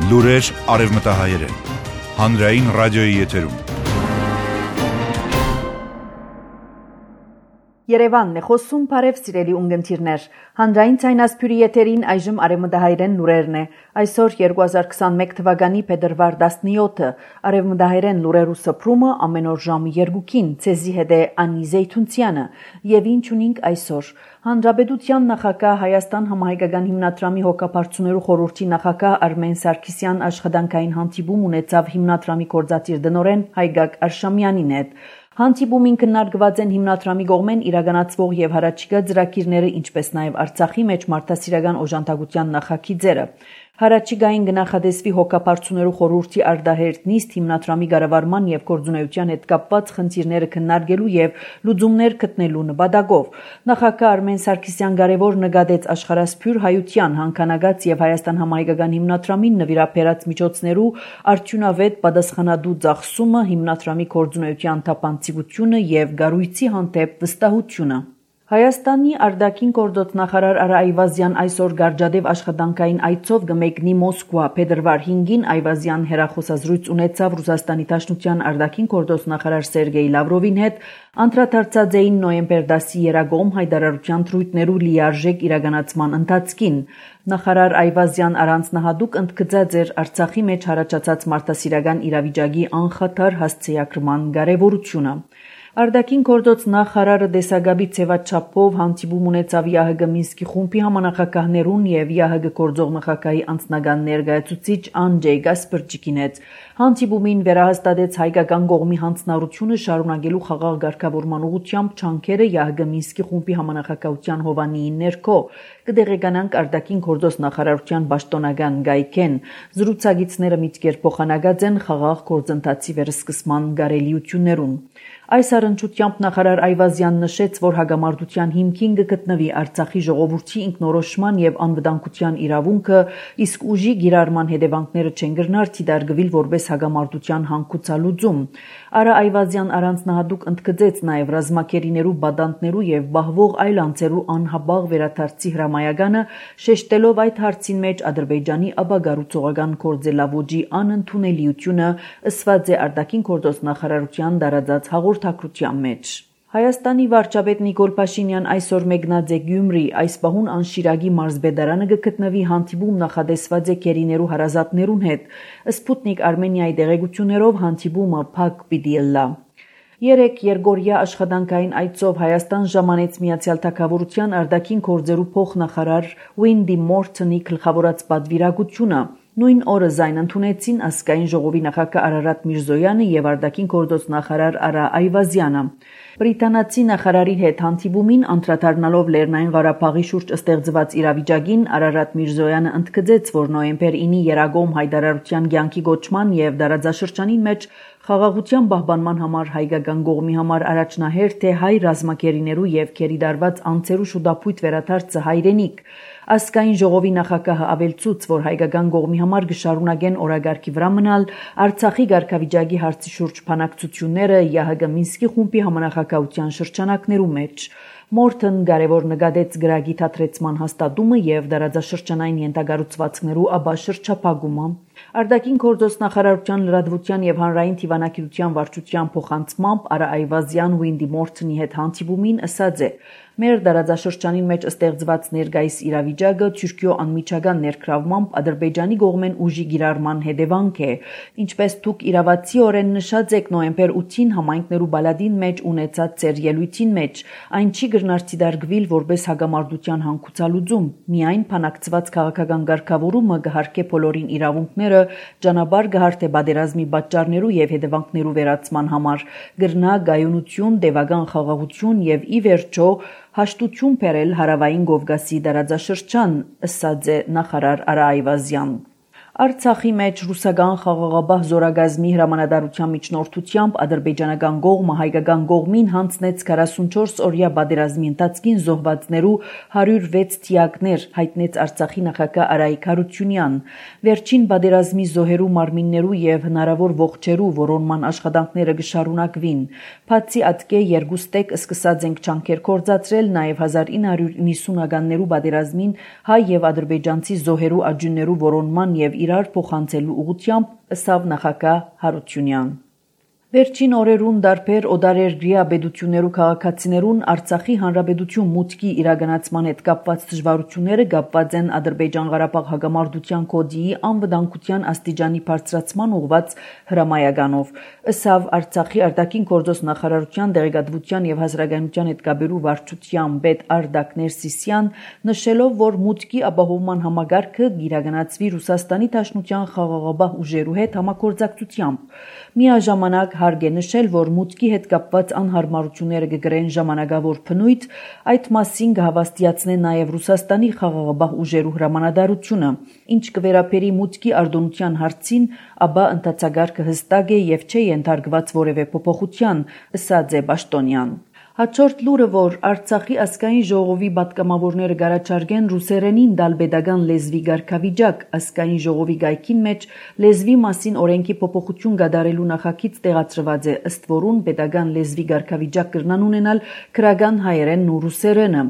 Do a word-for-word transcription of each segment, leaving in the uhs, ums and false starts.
Լուրեր արևմտահայերեն, հանրային ռադիոյի եթերում։ Երևանն է խոսում, բարև սիրելի ունգընտիրներ, հանրային ցայնասփյուրի եթերին այժմ արևմտահայերեն լուրերն է, այսօր երկու հազար քսանմեկ թվականի փետրվար տասնյոթը, արևմտահայերեն լուրերու սփռումը ամեն օր ժամը երկուքին, ցեզի հետ է Անի Զեյթունցյանը, եւ ինչ ունենք այսօր։ Հանրապետության նախագահ Հայաստան համահայկական հիմնադրամի հոգապարծուներու խորհրդի նախագահ Արմեն Սարգսյան աշխատանքային հանդիպում ունեցավ հիմնադրամի գործադիր տնօրեն Հայգակ Արշամյանին հետ։ Հանդիպումին քննարկված են հիմնադրամի կողմեն իրականացվող եւ հարաճիգա ծրագիրները, ինչպես նաեւ Արցախի մեջ մարդասիրական օժանդակության նախագիծերը։ Հարաճիգային գնահատեսվի հոգապարծուներու խորհրդի արդահերտ նիստ հիմնադրամի կառավարման եւ գործունեության հետ կապված խնդիրները քննարկելու եւ լուծումներ գտնելու նպատակով։ Նախագահ Արմեն Սարգսյան կարևոր նկատեց աշխարհասփյուր հայության հանքանագած եւ Հայաստան համահայկական հիմնադրամին նվիրաբերած միջոցներու արդյունավետ պատասխանատու ծախսումը, հիմնադրամի գործունեության թափանցիկությունը եւ գառույցի հանդեպ վստահությունը։ Հայաստանի արտաքին գործոց նախարար Արա Այվազյան այսօր Գարջադեվ աշխատանքային այցով կմեկնի Մոսկվա։ Փետրվար հինգին Այվազյան հեռախոսազրույց ունեցավ Ռուսաստանի Դաշնության արտաքին գործոց նախարար Սերգեյ Լավրովին հետ, անդրադարձած էին նոյեմբեր դասի երագոմ հայտարարության թրույթներու լիարժեք իրականացման ընթացքին։ Նախարար Այվազյան առանձնահատուկ ընդգծած էր Արցախի մեջ հարաճած մարդասիրական իրավիճակի անխաթար հասցեակրման կարևորությունը։ Արտաքին գործոց նախարարը դեսագաբի ցեվաչափով հանդիպում ունեցավ ԵԱՀԿ Մինսկի խումբի համանախագահներուն եւ ԵԱՀԿ գործող նախագահի անձնական ներկայացուցիչ Անջեյ Գասպրճիկին հետ։ Հանդիպումին վերահաստատեց հայկական կողմի հանձնառությունը շարունակելու խաղաղ ղեկավարման ուղղությամբ ջանքերը ԵԱՀԿ Մինսկի խումբի համանախագահության հովանիի ներքո։ Կդեղեկանանք արտաքին գործոց նախարարության պաշտոնական գայքեն։ Զրուցակիցները միտքեր փոխանակած են խաղաղ գործընթացի վերսկսման կարելիություններուն։ Այս առընչությամբ նախարար Այվազյան նշեց, որ հագամարտության հիմքին կգտնվի Արցախի ժողովրդի ինքնորոշման եւ անվտանգության իրավունքը, իսկ ուժի գիրառման հետևանքները չեն գրնար դիտարկվել որպես հագամարտության հանգուցալուծում։ Արա Այվազյան առանձնահատուկ ընդգծեց նաեւ ռազմակերիներու բադանտներու եւ բահվող այլ անձերու անհաբաղ վերադարձի հրամայականը, շեշտելով այդ հարցին մեջ Ադրբեջանի ապագառուցողական գործելավոճի անընդունելիությունը, ըսված է արտաքին գործոց նախարարության դարաձած հաղորդակցության մեջ։ Հայաստանի վարչապետ Նիկոլ Փաշինյան այսօր մեկնած է Գյումրի, այս պահուն անշիրագի մարզբեդարանը կգտնվի հանդիպում նախադեсված է կերիներու հարազատներուն հետ։ Սպուտնիկ Արմենիայի դեղեցություններով հանդիպումը փակ պիտի լա։ Երեք Երգորիա աշխատանքային այցով Հայաստան ժամանեց Միացյալ Թագավորության արտաքին գործերու փոխնախարար Ուինդի Մորթոնի գլխավորած պատվիրակությունը։ Նույն օրը զայն ընդունեցին ազգային ժողովի նախագահ Արարատ Միրզոյանը եւ արտաքին գործոց նախարար Արա Այվազյանը։ Բրիտանացի նախարարի հետ հանդիպումին անդրադառնալով Լեռնային Ղարաբաղի շուրջ ստեղծված իրավիճակին Արարատ Միրզոյանը ընդգծեց, որ նոյեմբեր ինի երագոմ հայտարարության կյանքի գոչման եւ դարաձաշրջանի մեջ խաղաղության պահպանման համար հայկական կողմի համար առաջնահերթ է հայ ռազմակերիներու եւ քերիդարված անձերու շուտապույտ վերադարձը հայրենիք։ Ազգային ժողովի նախագահը ավելցուց, որ հայկական կողմի համար կշարունակեն օրագարկի վրա մնալ Արցախի ղարքավիճակի հարցի շուրջ բանակցությունները ԵԱՀԿ Մինսկի խումբի համանախագահության շրջանակներու մեջ։ Մորթոն կարևոր նկատեց գրագի թատրեցման հաստատումը եւ դարաձաշրջանային ենթակառուցվածքներու ապա շրջափակումը։ Արտաքին գործոց նախարարության լրատվության եւ հանրային դիվանագիտության վարչության փոխանցմամբ Արա Այվազյան Ուինդի Մորթոնի հետ հանդիպումին ասած է. Մեր դարաձաշրջանին մեջ ստեղծված ներկայիս իրավիճակը Թուրքիո անմիջական ներգրավմամբ Ադրբեջանի կողմեն ուժի գիրառման հետևանք է։ Ինչպես դուք իրավացիորեն նշած եք նոյեմբեր ութին համայնքներու բալադին մեջ ունեցած ծեր ելույթին մեջ, այն չի գրնարցի դարգվիլ որպես հագամարտության հանգուցալուծում, միայն փանակցված քաղաքական ղեկավարումը կհարկե բոլորին իրավունքները, ճանապարհ կհարթե պատերազմի պատճառներու եւ հետևանքներու վերացման համար, գրնա գայունություն, տևական խաղաղություն եւ ի վերջո հաշտություն բերել հարավային Կովկասի դարաձաշրջան, ըսած է նախարար Արա Այվազյան։ Արցախի մեջ ռուսական խաղաղապահ զորագազմի հրամանատարության միջնորդությամբ ադրբեջանական կողմը հայկական կողմին հանձնեց քառասունչորս օրյա պատերազմի ընթացքին զոհվածներու հարյուր վեց թիակներ, հայտնեց Արցախի նախագահ Արայիկ Հարությունյան։ Վերջին պատերազմի զոհերու մարմիններու եւ հնարավոր ողջերու որոնման աշխատանքները կշարունակվին։ Բացի ատկե երկուստեք սկսած ենք ջանքեր կործածրել նաեւ հազար ինը հարյուր նվաթ ականներու պատերազմին հայ եւ ադրբեջանցի զոհերու աջուններու որոնման եւ իրար փոխանցելու ուղղությամբ, ըսավ նախագահ Հարությունյան։ Վերջին օրերուն դարբեր օդարերգրյա բեդություններու քաղաքացիներուն Արցախի հանրապետություն մուտքի իրագանացման հետ կապված դժվարությունները կապված են Ադրբեջան-Ղարաբաղ հակամարտության կոդիի անվտանգության աստիճանի բարձրացման ուղղված հրամայականով, ըսավ Արցախի արտաքին գործոս նախարարության դեղեկատվության եւ հասարակայնության հետ կապերու վարչության պետ Արդակ Ներսիսյան, նշելով, որ մուտքի ապահովման համագարկը կիրագանացվի Ռուսաստանի Դաշնության խաղաղապահ ուժերու հետ համագործակցությամբ։ Միաժամանակ հարկ է նշել, որ մուտքի հետ կապված անհարմարությունները կգրեն ժամանակավոր բնույթ, այդ մասին կհավաստիացնեն նաև Ռուսաստանի խաղաղապահ ուժերու հրամանատարությունը, ինչ կվերապերի մուտքի արտոնության հարցին, ապա ընթացագարկը հստակ է եւ չէ ենթարկված որևէ փոփոխության, ըսած է Պաշտոնյան։ Հաջորդ լուրը, որ Արցախի ազգային ժողովի պատգամավորները կառաջարկեն ռուսերենին տալ պետական լեզվի կարգավիճակ, ազգային ժողովի գայքին մեջ լեզվի մասին օրենքի փոփոխություն կատարելու նախագիծ տեղադրված է, ըստ որուն պետական լեզվի կարգավիճակ կրնան ունենալ քրական հայերենն ու ռուսերենը։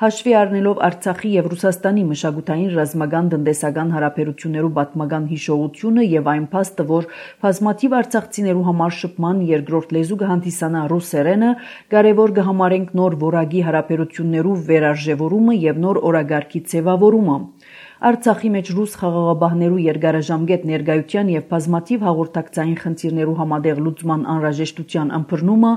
Հաշվի առնելով Արցախի եւ Ռուսաստանի մշակութային ռազմական տնտեսական հարաբերություններու պատմական հիշողությունը եւ այն փաստը, որ բազմաթիվ արցախցիներու համար շփման երկրորդ լեզու կհանդիսանա ռուսերենը, կարևոր կհամարենք նոր որակի հարաբերություններու վերարժևորումը եւ նոր օրագարկի ձևավորումը։ Արցախի մեջ ռուս խաղաղապահներու երկարաժամկետ ներկայության եւ բազմաթիվ հաղորդակցային խնդիրներու համատեղ լուծման անհրաժեշտության ըմբռնումը,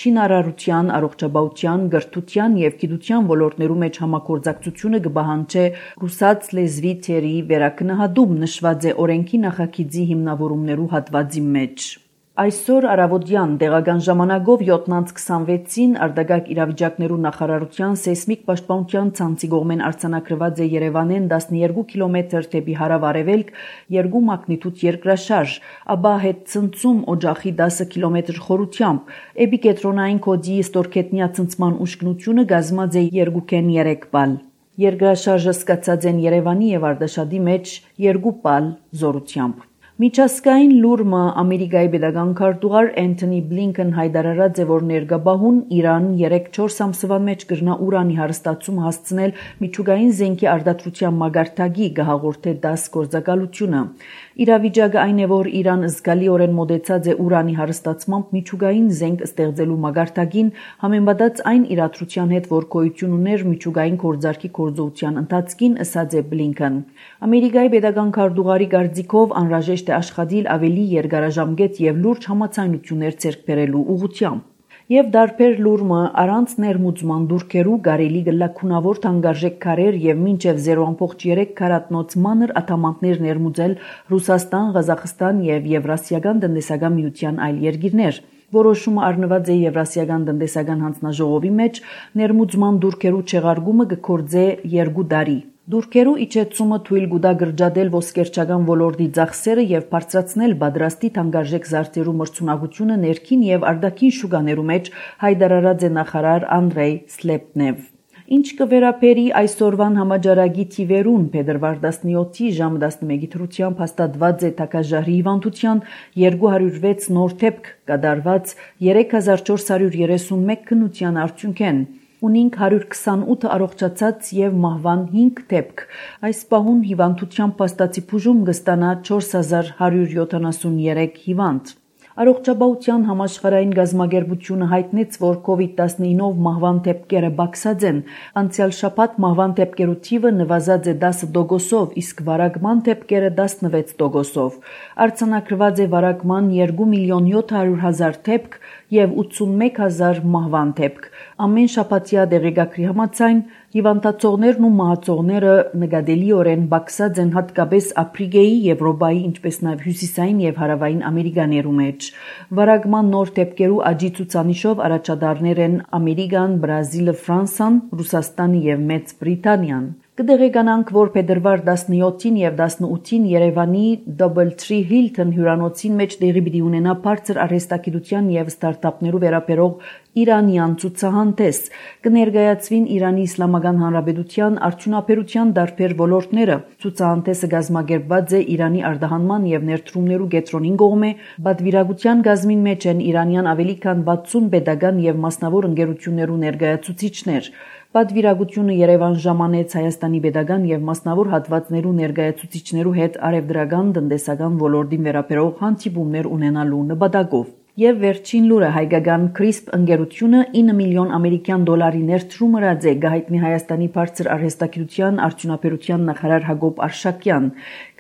շինարարության, առողջապահության, գրթության եւ գիտության ոլորտներու մեջ համագործակցությունը կպահանջի ռուսաց լեզվի թերի վերակնահատում, նշված է օրենքի նախագիծի հիմնավորումներու հատվածի մեջ։ Այսօր առավոտյան տեղական ժամանակով յոթ քսանվեցին արտագաղթ իրավիճակներու նախարարության սեյսմիկ պաշտպանության ցանցի կողմեն արձանագրված է Երևանեն տասներկու կիլոմետր դեպի հարավ-արևելք երկու մագնիտուդ երկրաշարժ, ապա հետ ցնցում օջախի դասը կիլոմետր խորությամբ, էպիկենտրոնային կոդի ստորգետնյա ցնցման ուշքնությունը կազմած է երկուքեն երեք բալ։ Երկրաշարժը սկսած են Երևանի եւ Արտաշատի մեջ երկու բալ զորությամբ։ Միջազգային լուրը Ամերիկայի պետական քարտուղար Էնթոնի Բլինքեն հայտարարած է, որ ներկայաբահուն Իրան երեք-չորս ամսվա մեջ կրնա ուրանի հարստացում հասցնել միջուկային զենքի արտադրության մագարտակի կհաղորդե դաս գործակալությունը։ Իրավիճակը այն է, որ Իրան զգալիորեն մոտեցած է ուրանի հարստացմամբ միջուկային զենք ստեղծելու մագարտակին, համեմատած այն իրադրության հետ, որ գոյություն ուներ միջուկային գործարքի գործողության ընթացքին, ըսած է Բլինքեն։ Ամերիկայի պետական քարտուղարի կարծիքով անհրաժեշտ է աշխատել ավելի երկարաժամկետ եւ լուրջ համաձայնություններ ձեռք բերելու ուղղությամբ։ Եվ դարբեր լուրը առանց ներմուծման դուրքերու կարելի գլակունավոր թանկարժեք քարեր եւ մինչեւ զերո ամբողջ երեք քարատնոց մանր աթամանտներ ներմուծել Ռուսաստան, Ղազախստան եւ Եվրասիական տնտեսական միության այլ երկիրներ։ Որոշումը առնված է Եվրասիական տնտեսական հանձնաժողովի մեջ, ներմուծման դուրքերու չեղարկումը կգործե երկու տարի։ Դուրքերու իջեցումը թույլ կտա գրջադել ոսկերչական ոլորտի ծախսերը եւ բարձրացնել պատրաստի թանկարժեք զարդերու մրցունակությունը ներքին եւ արտաքին շուկաներու մեջ, հայտարարած է նախարար Անդրեյ Սլեպնև։ Ինչ կվերապերի այսօրվան համաճարակի թիվերուն, փետրվար տասնյոթի ժամ տասնմեկի դրությամբ հաստատված է թագաժահրի հիվանդության երկու հարյուր վեց նոր դեպք կատարված երեք հազար չորս հարյուր երեսունմեկ քննության արդյունքեն։ Ունինք հարյուր քսանութ առողջացած եւ մահվան հինգ դեպք։ Այս պահուն հիվանդության փաստացի բուժում կստանա չորս հազար հարյուր յոթանասուններեք հիվանդ։ Առողջապահության համաշխարհային գազագերբությունը հայտնեց, որ կովիդ տասնինով մահվան դեպքերը բացած են։ Անցյալ շաբաթ մահվան դեպքերու թիվը նվազած է դասը տոկոսով, իսկ վարակման դեպքերը տասնվեց տոկոսով։ Արձանագրված է վարակման երկու միլիոն յոթ հարյուր հազար դեպք եւ ութսունմեկ հազար մահվան դեպք։ Ամեն շաբաթյա դեղեկագրի համաձայն հիվանդացողներն ու մահացողները նկատելիորեն բացած են հատկապես Աֆրիկայի, Եվրոպայի, ինչպես նաև հյուսիսային եւ հարավային Ամերիկաներու մեջ։ Վարակման նոր դեպքերու աճի ցուցանիշով առաջադարներ են Ամերիկան, Բրազիլը, Ֆրանսան, Ռուսաստանը եւ Մեծ Բրիտանիան։ Կդեղեկանանք, որ փետրվար տասնյոթին եւ տասնութին Երևանի Doubletree Hilton հյուրանոցին մեջ տեղի պիտի ունենա բարձր արհեստագիտության եւ ստարտափներու վերաբերող Իրանյան ցուցահանդես կներկայացվին Իրանի Իսլամական Հանրապետության արդյունաբերության տարբեր ոլորտները։ Ցուցահանդեսը կազմակերպված է Իրանի արտահանման եւ ներդրումներու կենտրոնին կողմէ, բադվիրագության գազմին մեջ են իրանյան ավելի քան վաթսուն պետական եւ մասնավոր ընկերություններու ներկայացուցիչներ։ Բադվիրագությունը Երևան ժամանեց Հայաստանի պետական եւ մասնավոր հատվածներու ներկայացուցիչներու հետ արևդրական տնտեսական ոլորտին վերաբերող հանդիպումներ ունենալու նպատակով։ Եվ վերջին լուրը հայկական Crisp ընկերությունը ինը միլիոն ամերիկյան դոլարի ներդրում ըրած է գահիտնի Հայաստանի բարձր արհեստագիտության արդյունաբերության նախարար Հակոբ Արշակյան։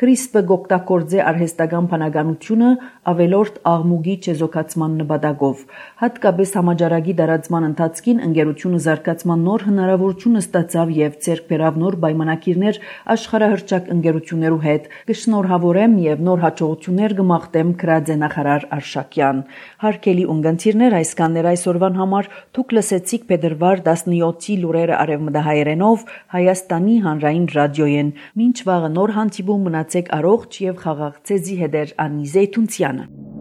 Crisp-ը գօգտագործե արհեստական բանականությունը ավելորդ աղմուկի չեզոքացման նպատակով։ Հատկապես համաճարակի տարածման ընթացքին ընկերությունը զարգացման նոր հնարավորություն ստացավ եւ ձեռք բերավ նոր պայմանագիրներ աշխարհահռչակ ընկերություններու հետ։ Կշնորհավորեմ եւ նոր հաջողություններ կմաղթեմ գրած է նախարար Արշակյան։ Հարգելի ունգընտիրներ, այսքանն էր այսօրվան համար։ Դուք լսեցիք փետրվար տասնյոթի լուրերը արևմտահայերենով Հայաստանի հանրային ռադիոյեն։ Մինչ վաղը նոր հանդիպում մնացեք առողջ եւ խաղաղ ցեզի հետ Անի Զեյթունցյանը։